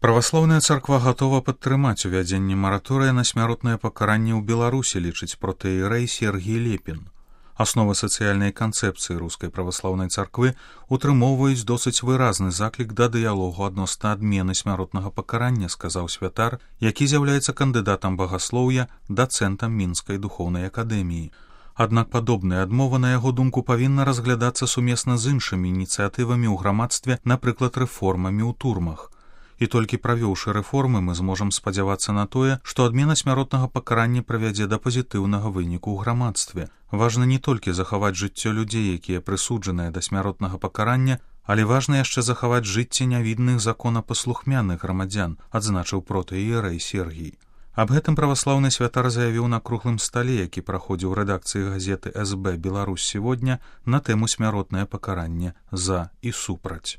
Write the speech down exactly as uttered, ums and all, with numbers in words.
Праваслаўная царква гатова падтрымаць увядзенне мараторыя на смяротнае пакаранне ў Беларусі, лічыць протэірэй Сергій Лепін. Асновы сацыяльнай канцэпцыі рускай праваслаўнай царквы утрымоўваюць досыць выразны заклік да дыялогу адносна адмены смяротнага пакарання, сказаў святар, які з'яўляецца кандыдатам багаслоўя, дацэнтам мінскай духоўнай акадэміі. Аднак падобная адмова, на яго думку, павінна разглядацца сумесна з іншымі ініцыятывамі ў грамадстве, напрыклад, рэформамі ў турмах. І толькі правёўшы рэформы, мы зможам спадзявацца на тое, што адмена смяротнага пакарання прывядзе да пазітыўнага выніку ў грамадстве. Важна не толькі захаваць жыццё людзей, якія прысуджаныя да смяротнага пакарання, але важна яшчэ захаваць жыцці нявідных законапаслухмяных грамадзян, адзначыў протэірэй Сергій. Аб гэтым праваслаўны святар заявіў на круглым стале, які праходзіў у рэдакцыі газеты эс бэ «Беларусь сегодня» на тэму смяротнае пакаранне за і супраць.